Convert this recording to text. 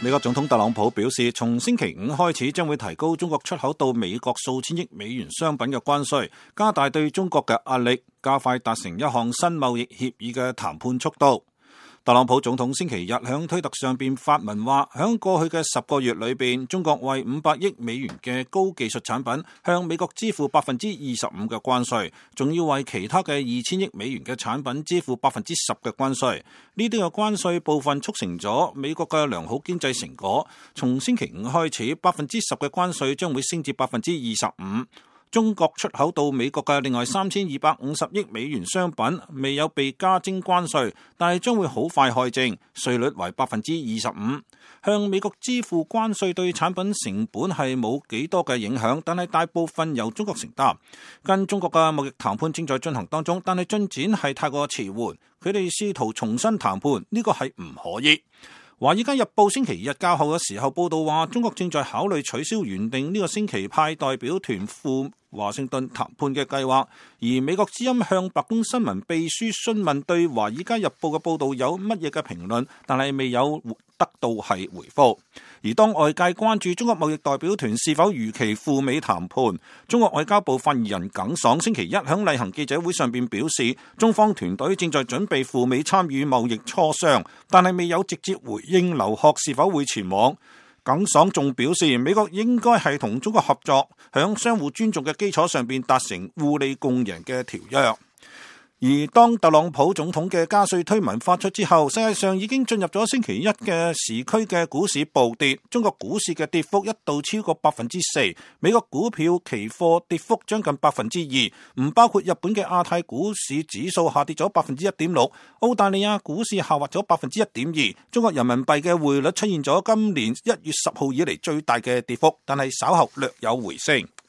美國總統特朗普表示，從星期五開始將會提高中國出口到美國數千億美元商品嘅關稅，加大對中國嘅壓力，加快達成一項新貿易協議嘅談判速度。特朗普總統星期日響推特上邊發文話，響過去嘅10個月裏邊，中國為500億美元嘅高技術產品向美國支付25%嘅關稅，仲要為其他嘅2000億美元嘅產品支付10%嘅關稅。呢啲嘅關稅部分促成咗美國嘅良好經濟成果。從星期五開始，10%嘅關稅將會升至25%。中國出口到美國嘅另外3250億美元商品未有被加徵關稅，但係將會好快開徵，稅率為25%。向美國支付關稅對產品成本係冇幾多嘅影響，但係大部分由中國承擔。跟中國嘅貿易談判正在進行當中，但係進展係太過遲緩，佢哋試圖重新談判，呢個係唔可以。華爾街日報星期日較後嘅時候報道話，中國正在考慮取消原定呢個星期派代表團赴華盛頓談判嘅計劃，而美國之音向白宮新聞秘書詢問對華爾街日報嘅報道有乜嘢嘅評論，但係未有得到係回覆。而當外界關注中國貿易代表團是否如期赴美談判，中國外交部發言人耿爽星期一響例行記者會上邊表示，中方團隊正在準備赴美參與貿易磋商，但係未有直接回應劉鶴是否會前往。耿爽仲表示，美國應該係同中國合作，響相互尊重嘅基礎上邊達成互利共贏嘅條約。而當特朗普總統嘅加稅推文發出之後，世界上已經進入咗星期一嘅時區嘅股市暴跌，中國股市嘅跌幅一度超過4%，美國股票期貨跌幅將近2%，唔包括日本嘅亞太股市指數下跌咗1.6%，澳大利亞股市下滑咗1.2%，中國人民幣嘅匯率出現咗今年1月10號以嚟最大嘅跌幅，但係稍後略有回升。